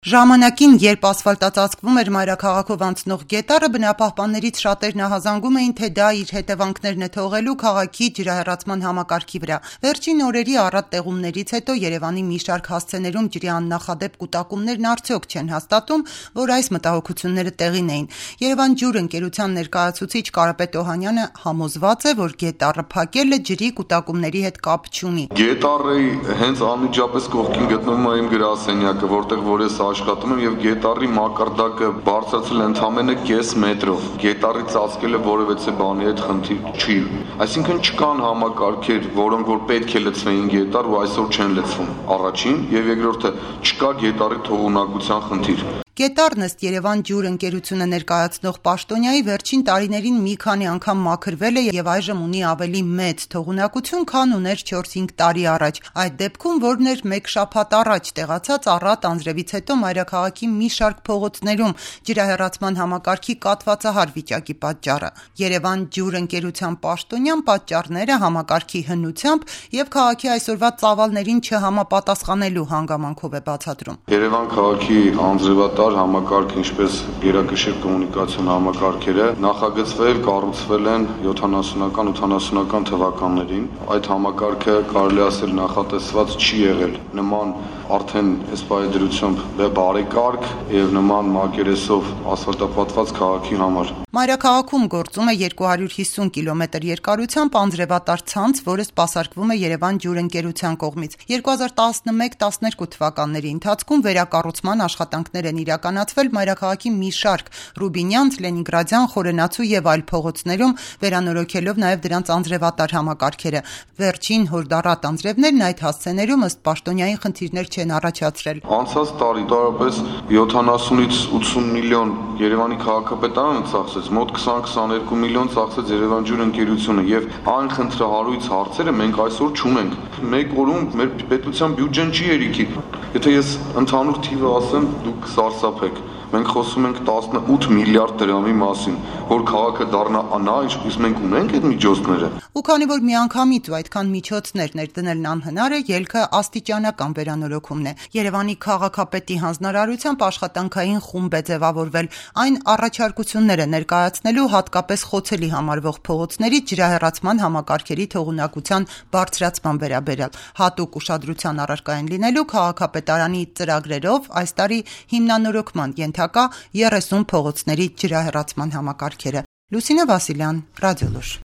Ժամանակին, երբ ասֆալտածածկվում էր մայրաքաղաքով անցնող գետառը, բնապահպաններից շատերն ահազանգում էին, թե դա իր հետևանքներն է թողելու քաղաքի ջրահեռացման համակարգի վրա։ Վերջին օրերի առատ տեղումներից հետո Երևանի մի շարք հասցեներում ջրի աննախադեպ կուտակումներն արդյոք չեն հաստատում, որ այս մտահոգությունները տեղին էին։ Երևան ջուր ընկերության ներկայացուցիչ Կարապետ Օհանյանը համոզված է, որ գետառը փակելը ջրի կուտակումների հետ կապ չունի։ Գետառի հենց անմիջապես կողքին գտնվում է իմ գրասենյակը, որտեղ որ ես աշխատում եմ, եւ գետառի մակարդակը բարձրացել ընդամենը կես մետրով։ Գետառի ծածկելը որևէ բանի հետ խնդիր չի։ Այսինքն չկան համակարգեր, որոնք որ պետք է լցվեին գետառ ու այսօր չեն լցվում։ Առաջին եւ երկրորդը չկա գետառի թողունակության խնդիր։ Գետառն ըստ Երևան ջուր ընկերությունը ներկայացնող պաշտոնյայի վերջին տարիներին մի քանի անգամ մաքրվել է եւ այժմ ունի ավելի մեծ թողունակություն, քան ուներ 4-5 տարի առաջ։ Այդ դեպքում, որն էր մեկ շաբաթ առաջ տեղացած առատ անձրևից հետո մայրաքաղաքի մի շարք փողոցներում ջրահեռացման համակարգի կաթվածահար վիճակի պատճառը։ Երևան ջուր ընկերության պաշտոնյան պատճառները համակարգի հնությամբ եւ քաղաքի այսօրվա ծավալներին չհամապատասխանելու հանգամանքով է բացատրում։ Երևան քաղաքի անձրևատար համակարգ, ինչպես գերակշիռ կոմունիկացիոն համակարգերը նախագծվել, կառուցվել են 70-80-ական թվականներին։ Այդ համակարգը կարելի ասել նախատեսված չի եղել նման արդեն դրությամբ բարեկարգ եւ նման մակերեսով ասֆալտապատված քաղաքի համար։ Մայրաքաղաքում գործում է 250 կիլոմետր երկարությամբ անձրևատար ցանց, որը սպասարկվում է Երևան ջուր ընկերության կողմից։ 2011-12 թվականների ընթացքում վերակառուցման աշխատանքներ են իրականացվել մայրաքաղաքի մի շարք Ռուբինյանց, Լենինգրադյան, Խորենացու եւ այլ փողոցներում, վերանորոգելով նաեւ դրանց անձրևատար համակարգերը։ Վերջին հորդառատ անձրևներն այդ հասցեներում ըստ պաշտոնյայի խնդիրներ չեն առաջացրել։ Անցած տարի տարապես 70-ից 80 միլիոն Երևանի քաղաքապետարանը ծախսեց, մոտ 20-22 միլիոն ծախսեց Երևան ջուր ընկերությունը եւ այն խնդրահարույց հարցերը մենք այսօր չունենք։ Մեկ օրում մեր պետության բյուջեն չի երիքի։ Եթե ես ընդհանուր թիվը ասեմ, դուք կսարսափեք։ Մենք խոսում ենք 18 միլիարդ դրամի մասին, որ քաղաքը դառնա անա, ինչպես մենք ունենք այդ միջոցները։ Ու քանի որ միանգամից ու այդքան միջոցներ ներդնելն անհնար է, ելքը աստիճանական վերանորոգումն է։ Երևանի քաղաքապետի հանձնարարությամբ աշխատանքային խումբ է ձևավորվել։ Այն առաջարկություններ է ներկայացնելու հատկապես խոցելի համարվող փողոցների ջրահեռացման համակարգերի թողունակության բարձրացման վերաբերյալ։ Հատուկ ուշադրության առարկա են լինելու քաղաքապետարանի ծրագրերով այս տարի հիմնանորոգման ենթակա 30 փողոցների ջրահեռացման համակարգերը։ Լուսինե Վասիլյան, Ռադիոլուր։